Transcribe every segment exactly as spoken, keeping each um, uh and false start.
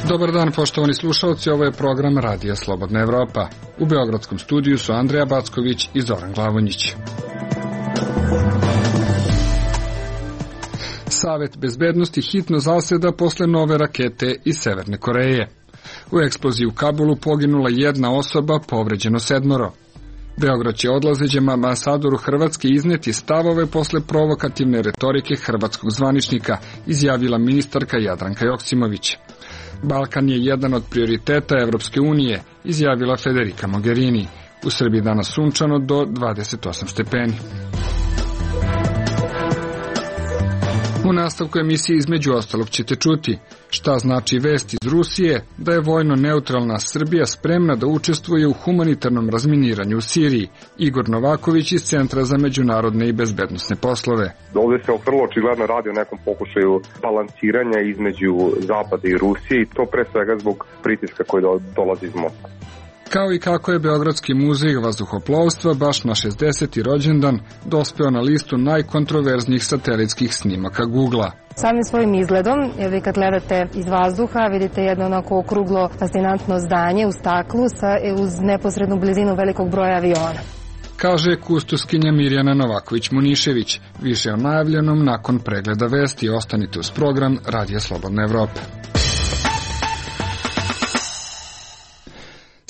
Dobar dan, poštovani slušalci, ovo je program Radija Slobodna Evropa. U beogradskom studiju su Andreja Backović i Zoran Glavonjić. Savet bezbednosti hitno zaseda posle nove rakete iz Severne Koreje. U eksploziji u Kabulu poginula jedna osoba, povređeno sedmoro. Beograd će odlazećem ambasadoru Hrvatske izneti stavove posle provokativne retorike hrvatskog zvaničnika, izjavila ministarka Jadranka Joksimović. Balkan je jedan od prioriteta Evropske unije, izjavila Federica Mogherini. U Srbiji danas sunčano do dvadeset osam stepeni. U nastavku emisije između ostalog ćete čuti šta znači vest iz Rusije da je vojno neutralna Srbija spremna da učestvuje u humanitarnom razminiranju u Siriji. Igor Novaković iz Centra za međunarodne i bezbednosne poslove. Ovdje se vrlo očigledno radi o nekom pokušaju balansiranja između Zapada i Rusije i to pre svega zbog pritiska koji dolazi iz Moskve. Kao i kako je Beogradski muzej vazduhoplovstva baš na šezdeseti rođendan dospeo na listu najkontroverznijih satelitskih snimaka Googlea. Samim svojim izgledom, jer vi kad gledate iz vazduha, vidite jedno onako okruglo, fascinantno zdanje u staklu sa, uz neposrednu blizinu velikog broja aviona. Kaže kustoskinja Mirjana Novaković-Munišević. Više o najavljenom nakon pregleda vesti. Ostanite uz program Radija Slobodna Evropa.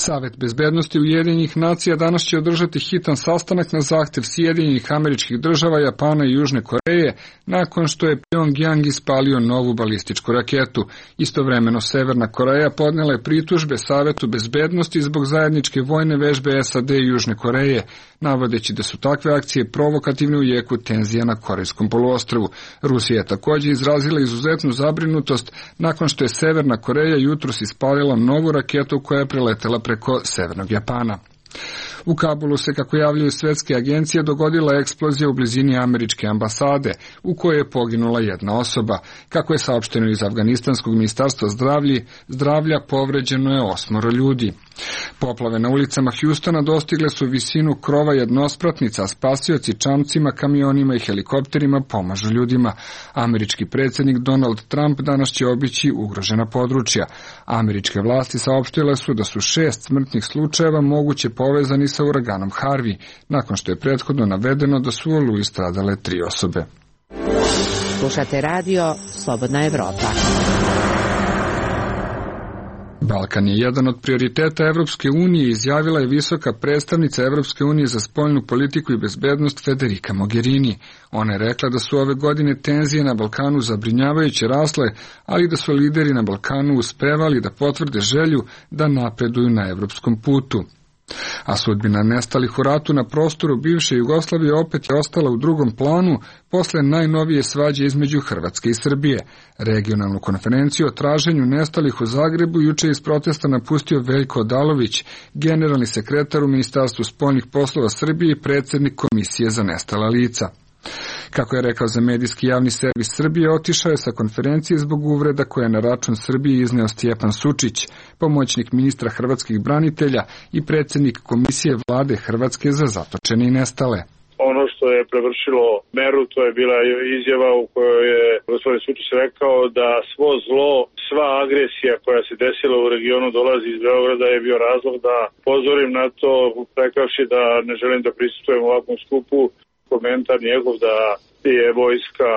Savet bezbednosti Ujedinjenih nacija danas će održati hitan sastanak na zahtev Sjedinjenih Američkih Država, Japana i Južne Koreje, nakon što je Pjongjang ispalio novu balističku raketu. Istovremeno Severna Koreja podnela je pritužbe Savetu bezbednosti zbog zajedničke vojne vežbe S A D i Južne Koreje, navodeći da su takve akcije provokativne u jeku tenzija na Korejskom poluostrvu. Rusija je također izrazila izuzetnu zabrinutost nakon što je Severna Koreja jutros ispalila novu raketu koja je preletela preko severnog Japana. U Kabulu se, kako javljaju svetske agencije, dogodila eksplozija u blizini američke ambasade, u kojoj je poginula jedna osoba. Kako je saopšteno iz Afganistanskog ministarstva zdravlja, zdravlja povređeno je osmoro ljudi. Poplave na ulicama Hjustona dostigle su visinu krova jednospratnica, a spasioci čamcima, kamionima i helikopterima pomažu ljudima. Američki predsjednik Donald Trump danas će obići ugrožena područja. Američke vlasti saopštile su da su šest smrtnih slučajeva moguće povezani sa uraganom Harvey, nakon što je prethodno navedeno da su u oluji stradale tri osobe. Slušate radio Slobodna Evropa. Balkan je jedan od prioriteta Evropske unije, izjavila je visoka predstavnica Evropske unije za spoljnu politiku i bezbednost Federica Mogherini. Ona je rekla da su ove godine tenzije na Balkanu zabrinjavajuće rasle, ali da su lideri na Balkanu uspevali da potvrde želju da napreduju na evropskom putu. A sudbina nestalih u ratu na prostoru bivše Jugoslavije opet je ostala u drugom planu posle najnovije svađe između Hrvatske i Srbije. Regionalnu konferenciju o traženju nestalih u Zagrebu juče iz protesta napustio Veljko Odalović, generalni sekretar u Ministarstvu spoljnih poslova Srbije i predsjednik Komisije za nestala lica. Kako je rekao za medijski javni servis Srbije, otišao je sa konferencije zbog uvreda koje je na račun Srbije izneo Stjepan Sučić, pomoćnik ministra hrvatskih branitelja i predsjednik Komisije vlade Hrvatske za zatočene i nestale. Ono što je prevršilo meru, to je bila izjava u kojoj je gospodin Sučić rekao da svo zlo, sva agresija koja se desila u regionu dolazi iz Beograda, je bio razlog da pozorim na to, rekavši da ne želim da prisustvujem ovakvom skupu. Komentar njegov da je vojska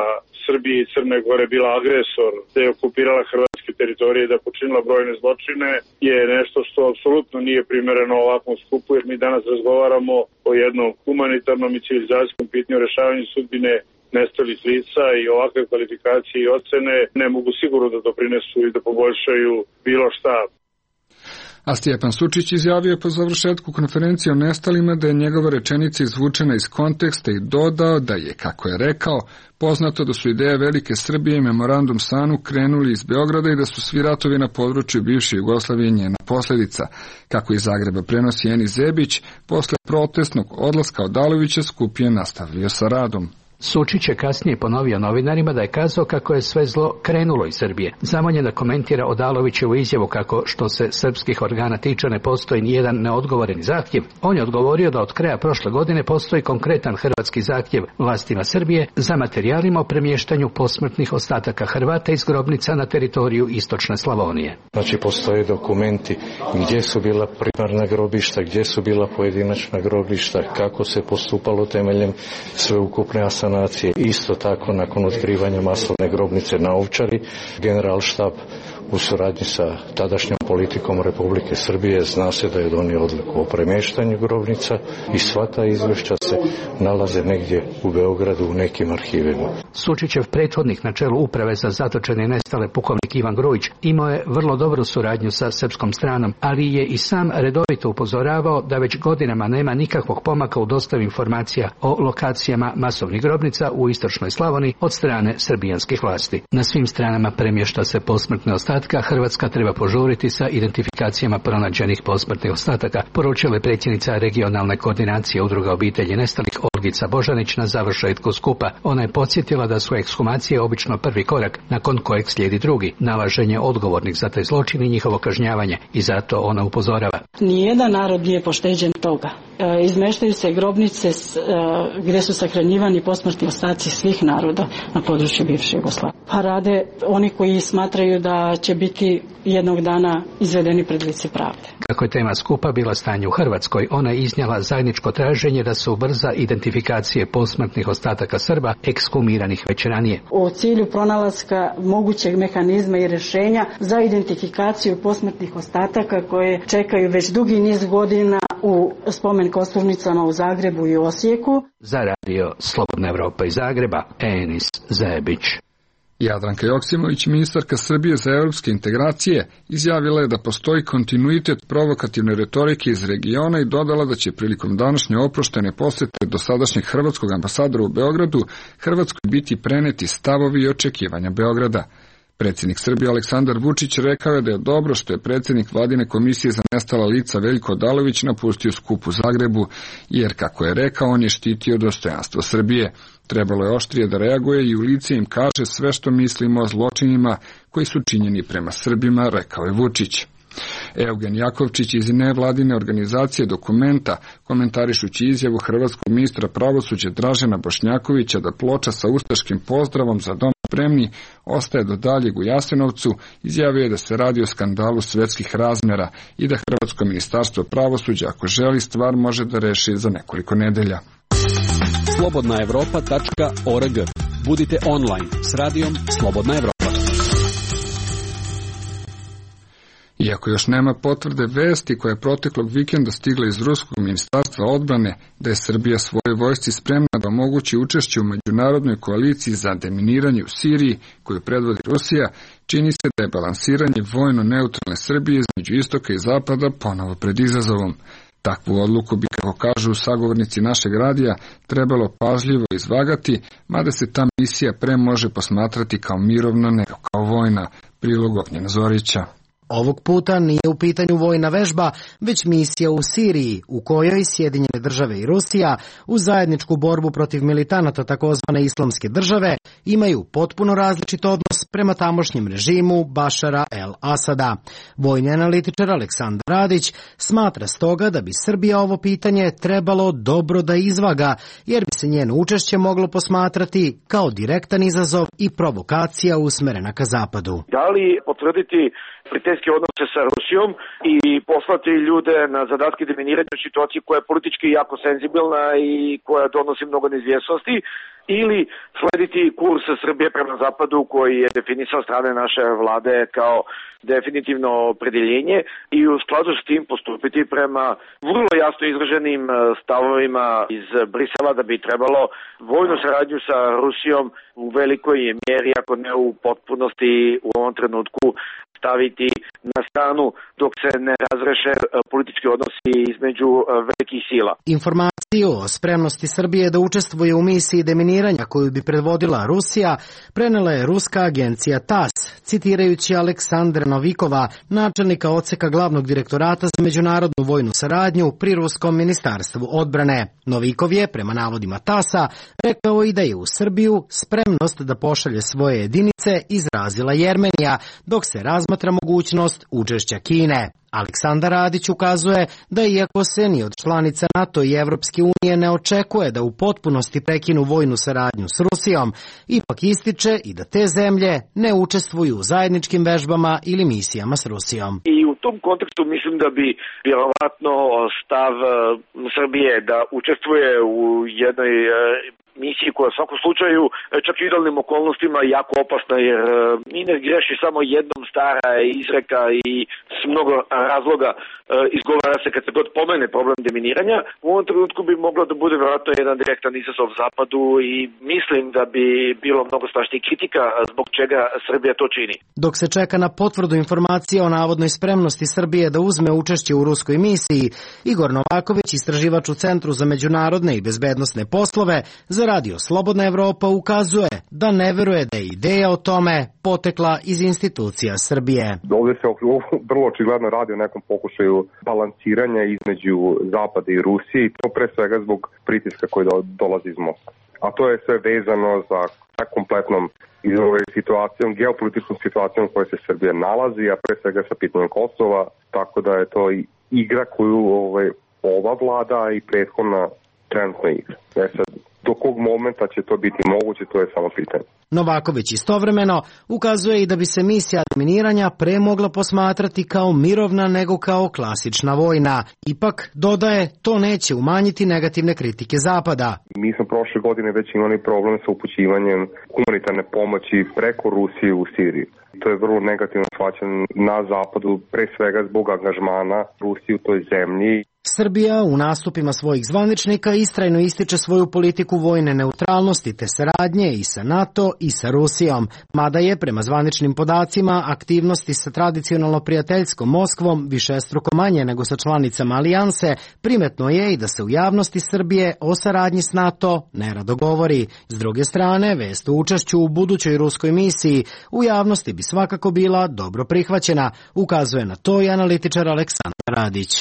Srbije i Crne Gore bila agresor, da je okupirala hrvatske teritorije i da počinila brojne zločine, je nešto što apsolutno nije primereno ovakvom skupu, jer mi danas razgovaramo o jednom humanitarnom i civilizacijskom pitanju rešavanju sudbine nestalih lica i ovakve kvalifikacije i ocene ne mogu sigurno da doprinesu i da poboljšaju bilo šta. A Stjepan Sučić izjavio po završetku konferencije o nestalima da je njegova rečenica izvučena iz konteksta i dodao da je, kako je rekao, poznato da su ideje Velike Srbije i memorandum Sanu krenuli iz Beograda i da su svi ratovi na području bivše Jugoslavije njena posljedica. Kako iz Zagreba prenosi Eni Zebić, posle protestnog odlaska Odalovića skup je nastavio sa radom. Sučić je kasnije ponovio novinarima da je kazao kako je sve zlo krenulo iz Srbije. Zamoljen da komentira Odalovićevu izjavu kako što se srpskih organa tiče ne postoji nijedan neodgovoreni zahtjev. On je odgovorio da od kraja prošle godine postoji konkretan hrvatski zahtjev vlastima Srbije za materijalima o premještanju posmrtnih ostataka Hrvata iz grobnica na teritoriju istočne Slavonije. Znači postoje dokumenti gdje su bila primarna grobišta, gdje su bila pojedinačna grobišta, kako se postupalo temeljem sveukupne asanacije. Isto tako nakon otkrivanja masovne grobnice na Ovčari, generalštab u suradnji sa tadašnjom politikom Republike Srbije zna se da je donio odluku o premještanju grobnica i sva ta izvješća se nalaze negdje u Beogradu u nekim arhivima. Sučićev prethodnik na čelu uprave za zatočene i nestale pukovnik Ivan Grujić imao je vrlo dobru suradnju sa srpskom stranom, ali je i sam redovito upozoravao da već godinama nema nikakvog pomaka u dostavi informacija o lokacijama masovnih grobnica u istočnoj Slavoniji od strane srbijanskih vlasti. Na svim stranama premješta se posmrtne ostatke. Hrvatska treba požuriti sa identifikacijama pronađenih posmrtnih ostataka, poručila je predsjednica regionalne koordinacije udruga obitelji nestalih Olgica Božanić na završetku skupa. Ona je podsjetila da su ekshumacije obično prvi korak, nakon kojeg slijedi drugi, nalaženje odgovornih za taj zločin i njihovo kažnjavanje, i zato ona upozorava. Nijedan narod nije pošteđen toga. E, izmeštaju se grobnice e, gdje su sahranjivani posmrtni ostaci svih naroda na području bivše Jugoslavije. Pa rade oni koji smatraju da će biti jednog dana izvedeni pred lice pravde. Kako je tema skupa bila stanje u Hrvatskoj, ona je iznijela zajedničko traženje da se ubrza identifikacije posmrtnih ostataka Srba ekshumiranih već ranije. U cilju pronalaska mogućeg mehanizma i rješenja za identifikaciju posmrtnih ostataka koje čekaju već dugi niz godina u spomen kosturnicama u Zagrebu i Osijeku. Za radio Slobodna Evropa iz Zagreba, Enis Zebić. Jadranka Joksimović, ministarka Srbije za evropske integracije, izjavila je da postoji kontinuitet provokativne retorike iz regiona i dodala da će prilikom današnje oproštene posjete dosadašnjeg hrvatskog ambasadora u Beogradu Hrvatskoj biti preneti stavovi i očekivanja Beograda. Predsjednik Srbije Aleksandar Vučić rekao je da je dobro što je predsjednik Vladine komisije za nestala lica Veljko Odalović napustio skup u Zagrebu, jer, kako je rekao, on je štitio dostojanstvo Srbije. Trebalo je oštrije da reaguje i u lice im kaže sve što mislimo o zločinima koji su činjeni prema Srbima, rekao je Vučić. Eugen Jakovčić iz nevladine organizacije Dokumenta, komentarišući izjavu hrvatskog ministra pravosuđa Dražena Bošnjakovića da ploča sa ustaškim pozdravom za dom spremni ostaje do daljeg u Jasenovcu, izjavio je da se radi o skandalu svetskih razmjera i da hrvatsko ministarstvo pravosuđa, ako želi, stvar može da reši za nekoliko nedelja. slobodna evropa tačka org. Budite online s radijom Slobodna Evropa. Iako još nema potvrde vesti koja je proteklog vikenda stigla iz Ruskog ministarstva odbrane da je Srbija svojoj vojsci spremna da omogući učešće u međunarodnoj koaliciji za deminiranje u Siriji koju predvodi Rusija, čini se da je balansiranje vojno neutralne Srbije između istoka i zapada ponovo pred izazovom. Takvu odluku bi, kako kažu sagovornici našeg radija, trebalo pažljivo izvagati, mada se ta misija pre može posmatrati kao mirovna nego kao vojna. Prilog Ognjena Zorića. Ovog puta nije u pitanju vojna vežba, već misija u Siriji, u kojoj Sjedinjene države i Rusija u zajedničku borbu protiv militanata takozvane islamske države imaju potpuno različit odnos prema tamošnjem režimu Bašara el-Asada. Vojni analitičar Aleksandar Radić smatra stoga da bi Srbija ovo pitanje trebalo dobro da izvaga, jer bi se njeno učešće moglo posmatrati kao direktan izazov i provokacija usmerena ka zapadu. Da li potvrditi prijateljske odnose sa Rusijom i poslati ljude na zadatke deminiranja u situaciji koja je politički jako senzibilna i koja donosi mnogo neizvjesnosti, ili slediti kurs Srbije prema zapadu koji je definisan strane naše vlade kao definitivno opredjeljenje i u skladu s tim postupiti prema vrlo jasno izraženim stavovima iz Brisela da bi trebalo vojnu saradnju sa Rusijom u velikoj mjeri, ako ne u potpunosti u ovom trenutku, staviti na stranu dok se ne razreše politički odnosi između velikih sila. Informaciju o spremnosti Srbije da učestvuje u misiji deminiranja koju bi predvodila Rusija prenela je ruska agencija TASS, citirajući Aleksandra Novikova, načelnika odseka glavnog direktorata za međunarodnu vojnu saradnju pri Ruskom ministarstvu odbrane. Novikov je, prema navodima TASS-a, rekao i da je u Srbiju spremnost da pošalje svoje jedinice izrazila Jermenija, dok se razmatra mogućnost učešća Kine. Aleksandar Radić ukazuje da iako se ni od članica NATO i Evropske unije ne očekuje da u potpunosti prekinu vojnu saradnju s Rusijom, ipak ističe i da te zemlje ne učestvuju u zajedničkim vežbama ili misijama s Rusijom. I u tom kontekstu mislim da bi vjerovatno stav Srbije da učestvuje u jednoj misiji koja u svakom slučaju čak i u idealnim okolnostima jako opasna, jer mi ne greši samo jednom stara izreka i s mnogo razloga izgovara se kad se god pomene problem deminiranja. U ovom trenutku bi moglo da bude vjerojatno jedan direktan izazov Zapadu i mislim da bi bilo mnogo strašnijih kritika zbog čega Srbija to čini. Dok se čeka na potvrdu informacije o navodnoj spremnosti Srbije da uzme učešće u ruskoj misiji, Igor Novaković, istraživač u Centru za međunarodne i bezbednosne poslove za Radio Slobodna Evropa, ukazuje da ne veruje da je ideja o tome potekla iz institucija Srbije. Ovdje se vrlo očigledno radi o nekom pokušaju balansiranja između Zapada i Rusije i to pre svega zbog pritiska koji dolazi iz Moskve. A to je sve vezano za kompletnom situacijom, geopolitičkom situacijom u kojoj se Srbija nalazi, a pre svega sa pitanjem Kosova, tako da je to igra koju ovaj, ova vlada i prethodna trenutna igra. E sad, do kog momenta će to biti moguće, to je samo pitanje. Novaković istovremeno ukazuje i da bi se misija deminiranja pre mogla posmatrati kao mirovna nego kao klasična vojna. Ipak, dodaje, to neće umanjiti negativne kritike Zapada. Mi smo prošle godine već imali problem sa upućivanjem humanitarne pomoći preko Rusije u Siriji. To je vrlo negativno shvaćeno na Zapadu, pre svega zbog angažmana Rusije u toj zemlji. Srbija u nastupima svojih zvaničnika istrajno ističe svoju politiku vojne neutralnosti te saradnje i sa NATO i sa Rusijom, mada je prema zvaničnim podacima aktivnosti sa tradicionalno prijateljskom Moskvom višestruko manje nego sa članicama alijanse, primetno je i da se u javnosti Srbije o saradnji s NATO nerado govori. S druge strane, vest o učešću u budućoj ruskoj misiji u javnosti bi svakako bila dobro prihvaćena, ukazuje na to i analitičar Aleksandar Radić.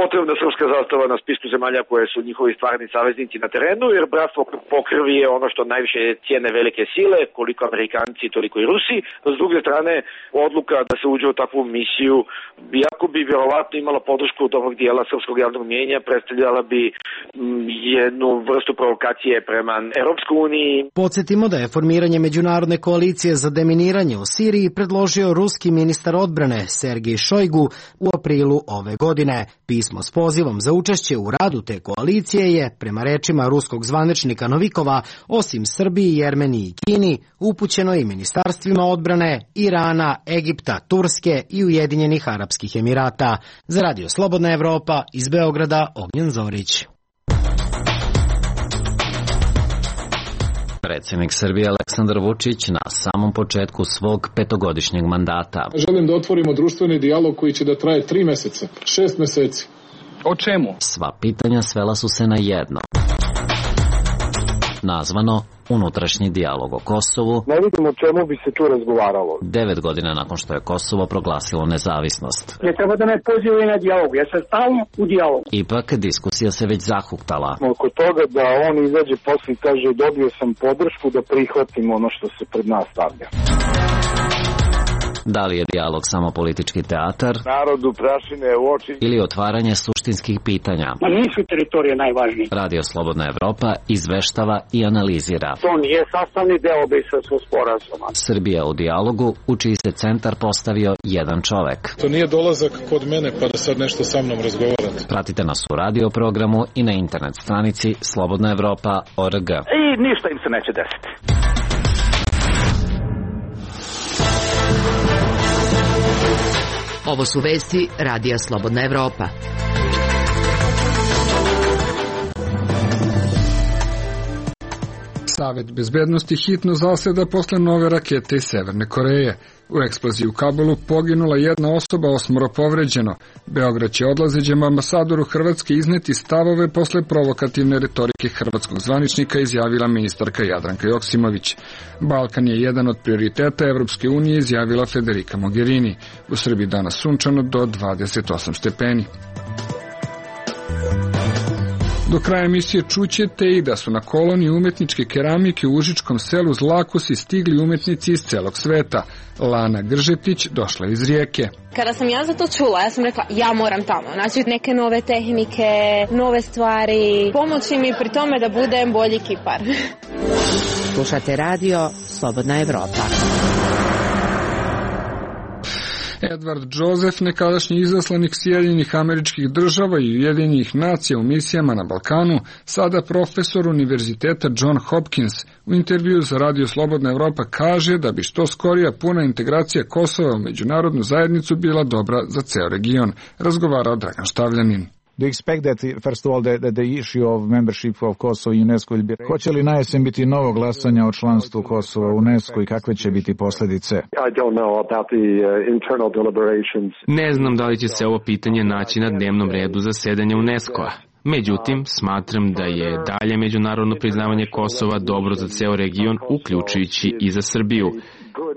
Potrebna srpska zastava na spisku zemalja koje su njihovi stvarni saveznici na terenu, jer bratstvo po krvi je ono što najviše cijene velike sile, koliko Amerikanci, toliko i Rusi. S druge strane, odluka da se uđe u takvu misiju, iako bi vjerovatno imala podršku dobrog dijela srpskog javnog mnijenja, predstavljala bi jednu vrstu provokacije prema Europskoj uniji. Podsjetimo da je formiranje međunarodne koalicije za deminiranje u Siriji predložio ruski ministar odbrane Sergej Šojgu u aprilu ove godine. Pismo s pozivom za učešće u radu te koalicije je, prema rečima ruskog zvaničnika Novikova, osim Srbiji, Jermeniji i Kini, upućeno i ministarstvima odbrane Irana, Egipta, Turske i Ujedinjenih Arapskih Emirata. Za Radio Slobodna Evropa, iz Beograda, Ognjen Zorić. Predsjednik Srbije Aleksandar Vučić na samom početku svog petogodišnjeg mandata. Želim da otvorimo društveni dijalog koji će da traje tri meseca, šest meseci. O čemu? Sva pitanja svela su se na jedno. Nazvano unutrašnji dijalog o Kosovu. Ne vidim o čemu bi se tu razgovaralo. Devet godina nakon što je Kosovo proglasilo nezavisnost. Ne treba da me pozivaju na dijalog, ja sam stalno u dijalogu. Ipak diskusija se već zahuktala. Oko toga da on izađe posle i kaže dobio sam podršku da prihvatim ono što se pred nas stavlja. Da li je dijalog samo politički teatar? Narodu prašine u oči. Ili otvaranje suštinskih pitanja? Ma nisu teritorije najvažnije. Radio Slobodna Evropa izveštava i analizira. To nije sastavni deo Briselskog sporazuma. Srbija u dijalogu, u čiji se centar postavio jedan čovek. To nije dolazak kod mene pa da sad nešto sa mnom razgovarate. Pratite nas u radio programu i na internet stranici slobodna evropa tačka org. I ništa im se neće desiti. Ovo su vesti Radija Slobodna Evropa. Savet bezbednosti hitno zaseda posle nove rakete iz Severne Koreje. U eksploziji u Kabulu poginula jedna osoba, osmoro povređeno. Beograd će odlazećem ambasadoru Hrvatske izneti stavove posle provokativne retorike hrvatskog zvaničnika, izjavila ministarka Jadranka Joksimović. Balkan je jedan od prioriteta Evropske unije, izjavila Federica Mogherini. U Srbiji danas sunčano do dvadeset osam stepeni. Do kraja emisije čućete i da su na koloniji umetničke keramike u užičkom selu Zlakosi stigli umetnici iz celog sveta. Lana Gržetić došla iz Rijeke. Kada sam ja za to čula, ja sam rekla ja moram tamo. Znači neke nove tehnike, nove stvari, pomoći mi pri tome da budem bolji kipar. Slušate radio Slobodna Evropa. Edward Joseph, nekadašnji izaslanik Sjedinjenih Američkih Država i Ujedinjenih nacija u misijama na Balkanu, sada profesor Univerziteta John Hopkins, u intervju za Radio Slobodna Evropa kaže da bi što skorija puna integracija Kosova u međunarodnu zajednicu bila dobra za ceo region, razgovarao Dragan Štavljanin. Do you expect that, first of all, the, the issue of membership of Kosovo i UNESCO will be... Hoće li na jesen biti novo glasanje o članstvu Kosova u UNESCO i kakve će biti posljedice? I don't know about the uh, internal deliberations. Ne znam da li će se ovo pitanje naći na dnevnom redu zasedanja UNESCO-a. Međutim, smatram da je dalje međunarodno priznavanje Kosova dobro za ceo region, uključujući i za Srbiju.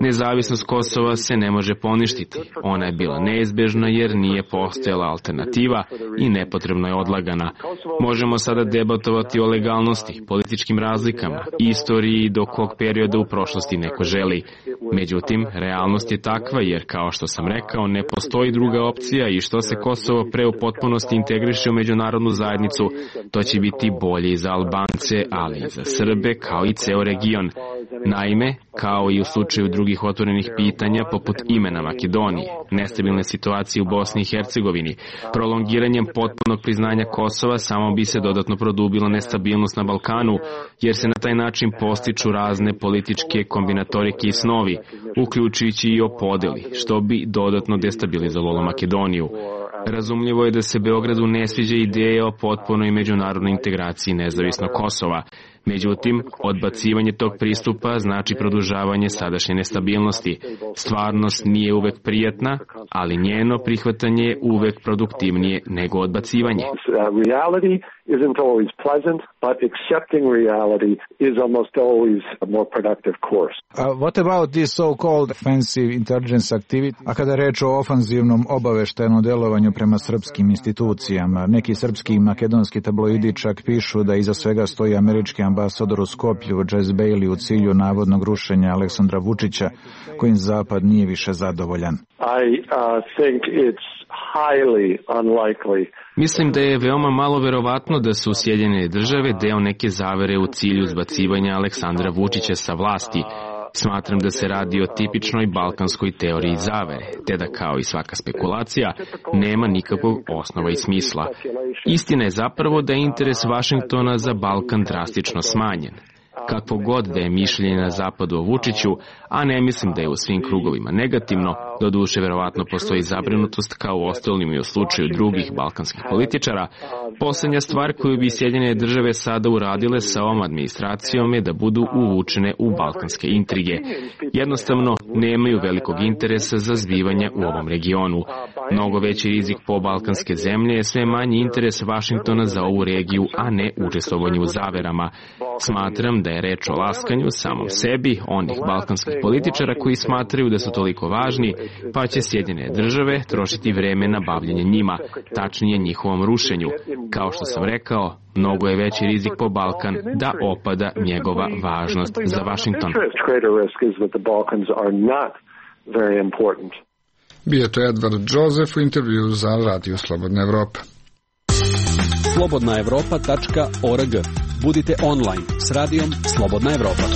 Nezavisnost Kosova se ne može poništiti. Ona je bila neizbežna jer nije postojala alternativa i nepotrebno je odlagana. Možemo sada debatovati o legalnosti, političkim razlikama, istoriji i do kog perioda u prošlosti neko želi. Međutim, realnost je takva jer, kao što sam rekao, ne postoji druga opcija i što se Kosovo pre u potpunosti integriše u međunarodnu zajednicu, to će biti bolje i za Albance, ali i za Srbe, kao i ceo region. Naime, kao i u slučaju drugih otvorenih pitanja poput imena Makedonije, nestabilne situacije u Bosni i Hercegovini, prolongiranjem potpunog priznanja Kosova samo bi se dodatno produbila nestabilnost na Balkanu, jer se na taj način postiču razne političke kombinatorike i snovi, uključujući i o podeli, što bi dodatno destabilizovalo Makedoniju. Razumljivo je da se Beogradu ne sviđa ideja o potpunoj međunarodnoj integraciji nezavisnog Kosova. Međutim, odbacivanje tog pristupa znači produžavanje sadašnje nestabilnosti. Stvarnost nije uvek prijatna, ali njeno prihvatanje je uvek produktivnije nego odbacivanje. Isn't always pleasant, but accepting reality is almost always a more productive course. Uh, what about this so-called offensive intelligence activity? A kada reč o ofanzivnom obaveštajnom delovanju prema srpskim institucijama, neki srpski i makedonski tabloidi čak pišu da iza svega stoji američki ambasador u Skoplju, Jess Bailey, u cilju navodnog rušenja Aleksandra Vučića, kojim Zapad nije više zadovoljan. I uh, think it's highly unlikely. Mislim da je veoma malo verovatno da su Sjedinjene Države deo neke zavere u cilju zbacivanja Aleksandra Vučića sa vlasti. Smatram da se radi o tipičnoj balkanskoj teoriji zavere, te da kao i svaka spekulacija nema nikakvog osnova i smisla. Istina je zapravo da je interes Vašingtona za Balkan drastično smanjen. Kakvo god da je mišljenje na zapadu o Vučiću, a ne mislim da je u svim krugovima negativno, doduše verovatno postoji zabrinutost kao u ostalim i u slučaju drugih balkanskih političara, poslednja stvar koju bi Sjedinjene Države sada uradile sa ovom administracijom je da budu uvučene u balkanske intrige. Jednostavno, nemaju velikog interesa za zbivanja u ovom regionu. Mnogo veći rizik po balkanske zemlje je sve manji interes Vašingtona za ovu regiju, a ne učestvovanje u zaverama. Smatram da je reč o laskanju samom sebi, onih balkanskih političara koji smatraju da su toliko važni, pa će Sjedinjene Države trošiti vreme na bavljenje njima, tačnije njihovom rušenju. Kao što sam rekao, mnogo je veći rizik po Balkan da opada njegova važnost za Vašington. Bio to Edward Joseph u intervju za Radio Slobodna Evropa. slobodna evropa tačka org. Budite online s radijom Slobodna Evropa.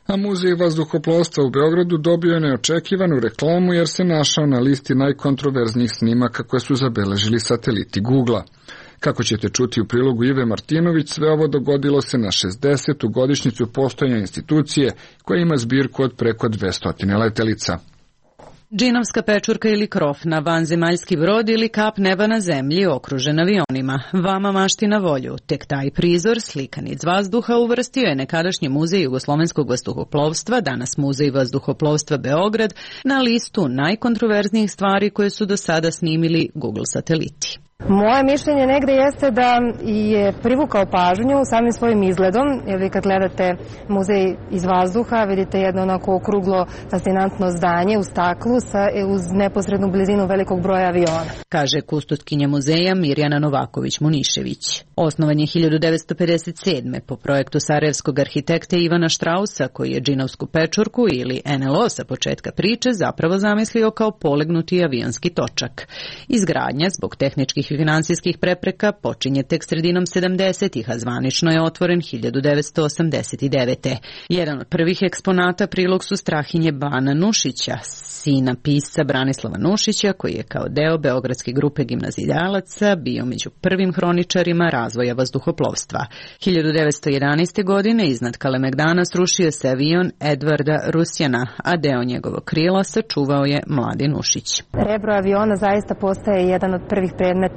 A Muzej vazduhoplovstva u Beogradu dobio je neočekivanu reklamu jer se našao na listi najkontroverznijih snimaka koje su zabeležili sateliti Google-a. Kako ćete čuti u prilogu Ive Martinović, sve ovo dogodilo se na šezdesetu godišnjicu postojanja institucije koja ima zbirku od preko dvesta letelica. Džinovska pečurka ili krof na vanzemaljski brod ili kap neba na zemlji okružen avionima. Vama mašti na volju. Tek taj prizor, slikan iz vazduha, uvrstio je nekadašnji muzej jugoslovenskog vazduhoplovstva, danas muzej vazduhoplovstva Beograd, na listu najkontroverznijih stvari koje su do sada snimili Google sateliti. Moje mišljenje negde jeste da je privukao pažnju samim svojim izgledom, jer vi kad gledate muzej iz vazduha vidite jedno onako okruglo fascinantno zdanje u staklu sa, uz neposrednu blizinu velikog broja aviona. Kaže kustotkinja muzeja Mirjana Novaković-Munišević. Osnovan je hiljadu devetsto pedeset sedme po projektu sarajevskog arhitekte Ivana Štrausa, koji je Džinovsku pečurku ili en el o sa početka priče zapravo zamislio kao polegnuti avionski točak. Izgradnja zbog tehničkih i finansijskih prepreka počinje tek sredinom sedamdesetih, a zvanično je otvoren hiljadu devetsto osamdeset devete. Jedan od prvih eksponata prilog su Strahinje Bana Nušića, sina pisca Branislava Nušića, koji je kao deo beogradske grupe gimnazijalaca bio među prvim hroničarima razvoja vazduhoplovstva. hiljadu devetsto jedanaeste. godine iznad Kalemegdana srušio se avion Edvarda Rusjana, a deo njegovog krila sačuvao je mladi Nušić. Rebro aviona zaista postaje jedan od prvih predmeta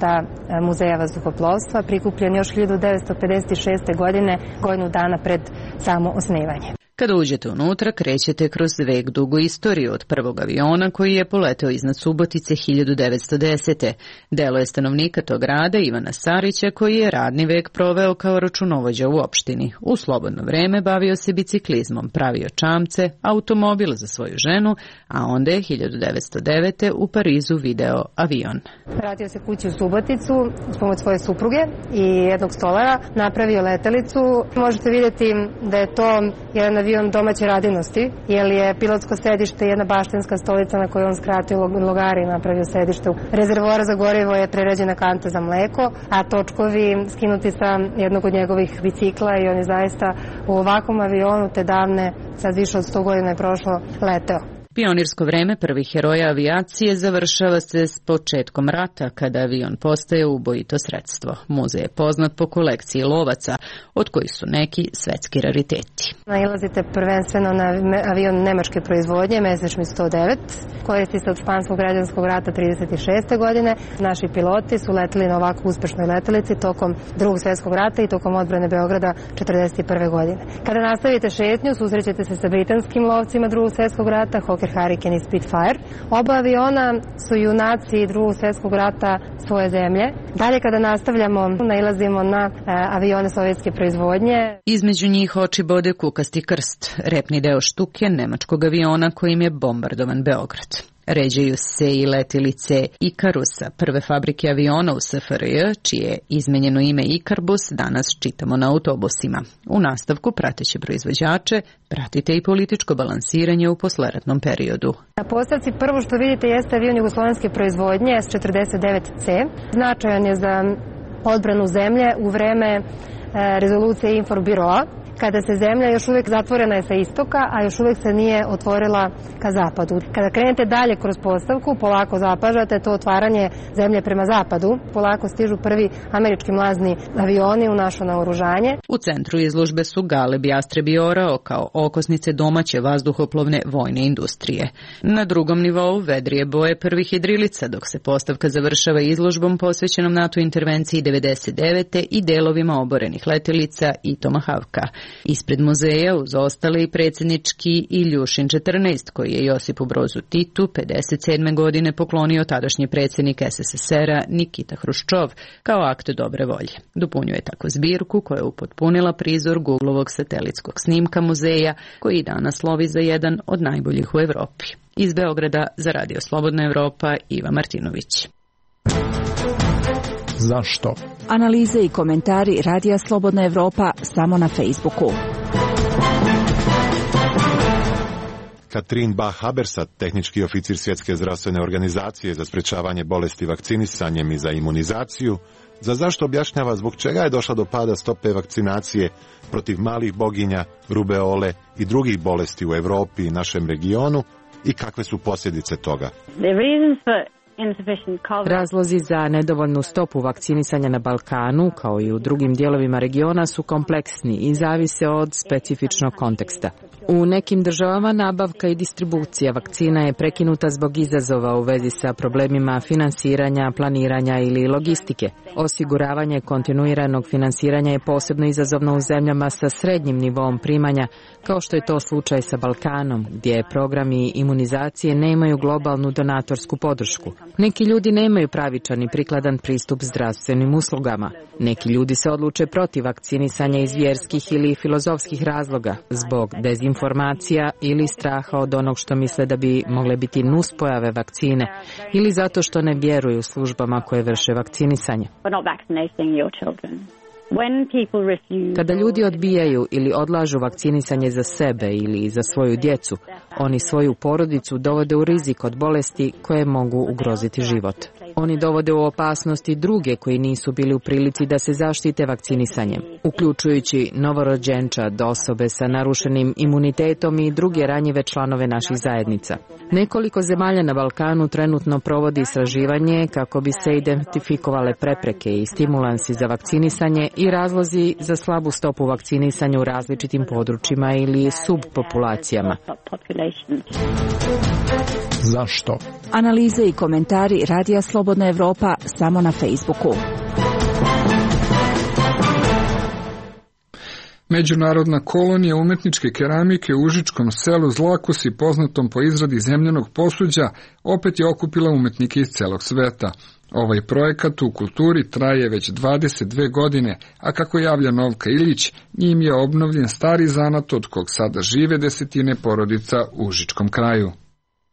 Muzeja vazduhoplovstva, prikupljen još hiljadu devetsto pedeset šeste. godine, godinu dana pred samo osnivanje. Kada uđete unutra, krećete kroz vek dugu istoriju od prvog aviona koji je poleteo iznad Subotice hiljadu devetsto desete. Delo je stanovnika tog grada Ivana Sarića, koji je radni vek proveo kao računovođa u opštini. U slobodno vreme bavio se biciklizmom, pravio čamce, automobil za svoju ženu, a onda je hiljadu devetsto devete. u Parizu video avion. Vratio se kući u Suboticu s pomoć svoje supruge i jednog stolara, napravio letelicu. Možete vidjeti da je to jedan avion domaće radinosti, jer je pilotsko sedište jedna baštenska stolica na kojoj on skratio logari i napravio sedište. Rezervoar za gorivo je preređena kanta za mleko, a točkovi skinuti sa jednog od njegovih bicikla i on je zaista u ovakvom avionu te davne, sad više od sto godina je prošlo, leteo. Pionirsko vreme prvih heroja avijacije završava se s početkom rata, kada avion postaje ubojito sredstvo. Muzej je poznat po kolekciji lovaca, od kojih su neki svetski rariteti. Nailazite prvenstveno na avion nemačke proizvodnje, Messerschmitt sto devet, koristi se od španskog građanskog rata trideset šeste. godine. Naši piloti su leteli na ovako uspešnoj letelici tokom drugog svjetskog rata i tokom odbrane Beograda četrdeset prve. godine. Kada nastavite šetnju, susrećete se sa britanskim lovcima drugog svjetskog rata, Hawker Hurricane i Spitfire. Oba aviona su junaci drugog svjetskog rata svoje zemlje. Dalje kada nastavljamo, nailazimo na e, avione sovjetske proizvodnje. Između njih oči bode kukasti krst, repni deo štuke nemačkog aviona kojim je bombardovan Beograd. Ređaju se i letilice Ikarusa, prve fabrike aviona u es ef er je, čije izmenjeno ime Ikarbus danas čitamo na autobusima. U nastavku prateće proizvođače pratite i političko balansiranje u posleratnom periodu. Na postavci prvo što vidite jeste avion jugoslovenske proizvodnje es četrdeset devet ce. Značajan je za odbranu zemlje u vreme e, rezolucije Inforbiroa, kada se zemlja još uvijek zatvorena je sa istoka, a još uvijek se nije otvorila ka zapadu. Kada krenete dalje kroz postavku, polako zapažate to otvaranje zemlje prema zapadu. Polako stižu prvi američki mlazni avioni u našo naoružanje. U centru izložbe su Galeb, Jastreb i Orao kao okosnice domaće vazduhoplovne vojne industrije. Na drugom nivou vedrije boje prvih jedrilica, dok se postavka završava izložbom posvećenom NATO intervenciji devedeset devete. i delovima oborenih letelica i Tomahawka. Ispred muzeja uz ostale i predsjednički Iljušin četrnaest, koji je Josipu Brozu Titu pedeset sedme. godine poklonio tadašnji predsjednik es es es er a Nikita Hruščov kao akt dobre volje. Dopunjuje tako zbirku koja je upotpunila prizor Googlovog satelitskog snimka muzeja, koji danas slovi za jedan od najboljih u Evropi. Iz Beograda za Radio Slobodna Evropa, Iva Martinović. Zašto? Analize i komentari Radija Slobodna Evropa samo na Facebooku. Katrin Bah-Habersat, tehnički oficir Svjetske zdravstvene organizacije za sprečavanje bolesti vakcinisanjem i za imunizaciju, za zašto objašnjava zbog čega je došla do pada stope vakcinacije protiv malih boginja, rubeole i drugih bolesti u Evropi i našem regionu i kakve su posljedice toga. Razlozi za nedovoljnu stopu vakcinisanja na Balkanu, kao i u drugim dijelovima regiona, su kompleksni i zavise od specifičnog konteksta. U nekim državama nabavka i distribucija vakcina je prekinuta zbog izazova u vezi sa problemima finansiranja, planiranja ili logistike. Osiguravanje kontinuiranog finansiranja je posebno izazovno u zemljama sa srednjim nivom primanja, kao što je to slučaj sa Balkanom, gdje programi imunizacije nemaju globalnu donatorsku podršku. Neki ljudi nemaju pravičan i prikladan pristup zdravstvenim uslugama. Neki ljudi se odluče protiv vakcinisanja iz vjerskih ili filozofskih razloga, zbog dezinformacija ili straha od onog što misle da bi mogle biti nuspojave vakcine, ili zato što ne vjeruju službama koje vrše vakcinisanje. Kada ljudi odbijaju ili odlažu vakcinisanje za sebe ili za svoju djecu, oni svoju porodicu dovode u rizik od bolesti koje mogu ugroziti život. Oni dovode u opasnost i druge koji nisu bili u prilici da se zaštite vakcinisanjem, uključujući novorođenčad, osobe sa narušenim imunitetom i druge ranjive članove naših zajednica. Nekoliko zemalja na Balkanu trenutno provodi istraživanje kako bi se identifikovale prepreke i stimulansi za vakcinisanje i razlozi za slabu stopu vakcinisanja u različitim područjima ili subpopulacijama. Zašto? Analize i komentari Radija Slobodna Evropa samo na Facebooku. Međunarodna kolonija umetničke keramike u užičkom selu Zlakusi, poznatom po izradi zemljanog posuđa, opet je okupila umetnike iz celog sveta. Ovaj projekat u kulturi traje već dvadeset dve godine, a kako javlja Novka Ilić, njim je obnovljen stari zanat od kog sada žive desetine porodica u užičkom kraju.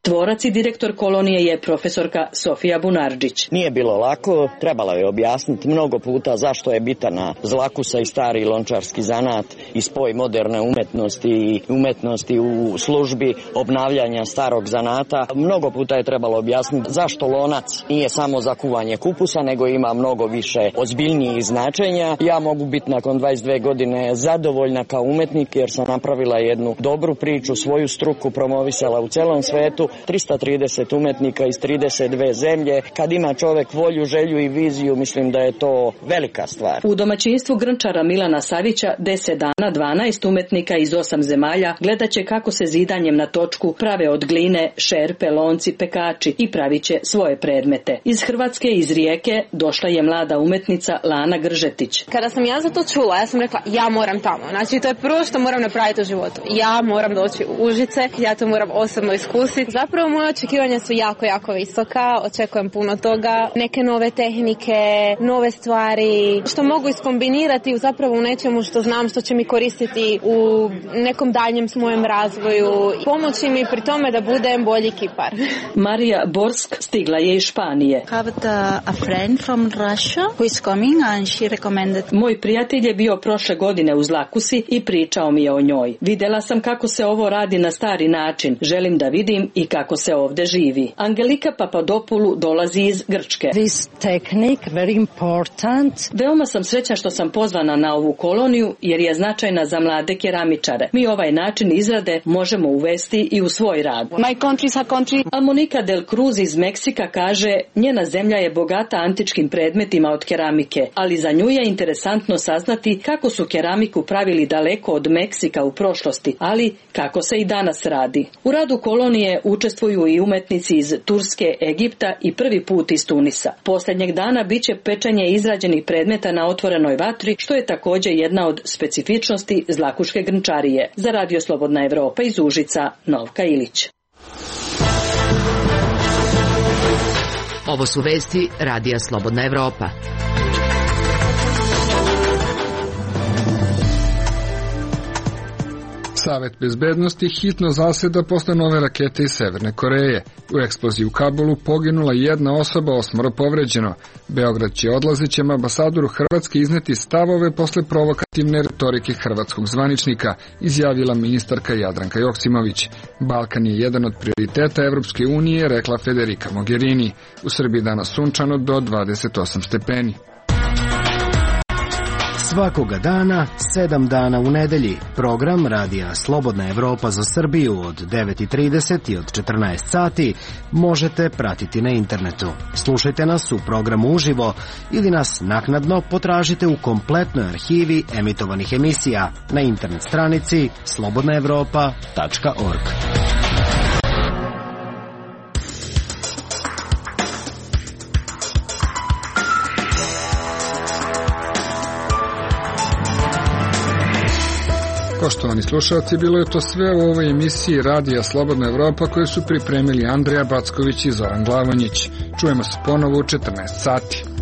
Tvorac i direktor kolonije je profesorka Sofija Bunarđić. Nije bilo lako, trebalo je objasniti mnogo puta zašto je bitana Zlakusa i stari lončarski zanat i spoj moderne umetnosti i umetnosti u službi obnavljanja starog zanata. Mnogo puta je trebalo objasniti zašto lonac nije samo za kuvanje kupusa, nego ima mnogo više ozbiljnijih značenja. Ja mogu biti nakon dvadeset dve godine zadovoljna kao umetnik jer sam napravila jednu dobru priču, svoju struku promovisala u celom svetu. trista trideset umetnika iz trideset dve zemlje. Kad ima čovek volju, želju i viziju, mislim da je to velika stvar. U domaćinstvu grnčara Milana Savića deset dana dvanaest umetnika iz osam zemalja gledat će kako se zidanjem na točku prave od gline, šerpe, lonci, pekači i pravit će svoje predmete. Iz Hrvatske, iz Rijeke, došla je mlada umetnica Lana Gržetić. Kada sam ja za to čula, ja sam rekla ja moram tamo. Znači to je prvo što moram napraviti u životu. Ja moram doći u Užice, ja to moram osobno iskusiti. Zapravo moje očekivanja su jako, jako visoka, očekujem puno toga, neke nove tehnike, nove stvari, što mogu iskombinirati zapravo u nečemu što znam što će mi koristiti u nekom daljem mojem razvoju, pomoći mi pri tome da budem bolji kipar. Marija Borsk stigla je iz Španije. Moj prijatelj je bio prošle godine u Zlakusi i pričao mi je o njoj. Videla sam kako se ovo radi na stari način, želim da vidim i kako se ovde živi. Angelika Papadopoulou dolazi iz Grčke. This technique very important. Veoma sam srećna što sam pozvana na ovu koloniju jer je značajna za mlade keramičare. Mi ovaj način izrade možemo uvesti i u svoj rad. My country is a country. A Monika Del Cruz iz Meksika kaže, njena zemlja je bogata antičkim predmetima od keramike, ali za nju je interesantno saznati kako su keramiku pravili daleko od Meksika u prošlosti, ali kako se i danas radi. U radu kolonije učestvuju i umetnici iz Turske, Egipta i prvi put iz Tunisa. Posljednjeg dana biće pečenje izrađenih predmeta na otvorenoj vatri, što je također jedna od specifičnosti zlakuške grnčarije. Za Radio Slobodna Evropa iz Užica, Novka Ilić. Ovo su vesti Radija Slobodna Evropa. Savet bezbednosti hitno zaseda posle nove rakete iz Severne Koreje. U eksploziji u Kabulu poginula jedna osoba, osmoro povređeno. Beograd će odlazećem ambasadoru Hrvatske izneti stavove posle provokativne retorike hrvatskog zvaničnika, izjavila ministarka Jadranka Joksimović. Balkan je jedan od prioriteta Evropske unije, rekla Federica Mogherini. U Srbiji danas sunčano do dvadeset osam stepeni. Svakoga dana, sedam dana u nedelji, program Radija Slobodna Evropa za Srbiju od devet i trideset i od četrnaest sati možete pratiti na internetu. Slušajte nas u programu uživo ili nas naknadno potražite u kompletnoj arhivi emitovanih emisija na internet stranici slobodna evropa tačka org. Poštovani slušalci, bilo je to sve u ovoj emisiji Radija Slobodna Evropa koje su pripremili Andreja Backović i Zoran Glavonjić. Čujemo se ponovo u četrnaest sati.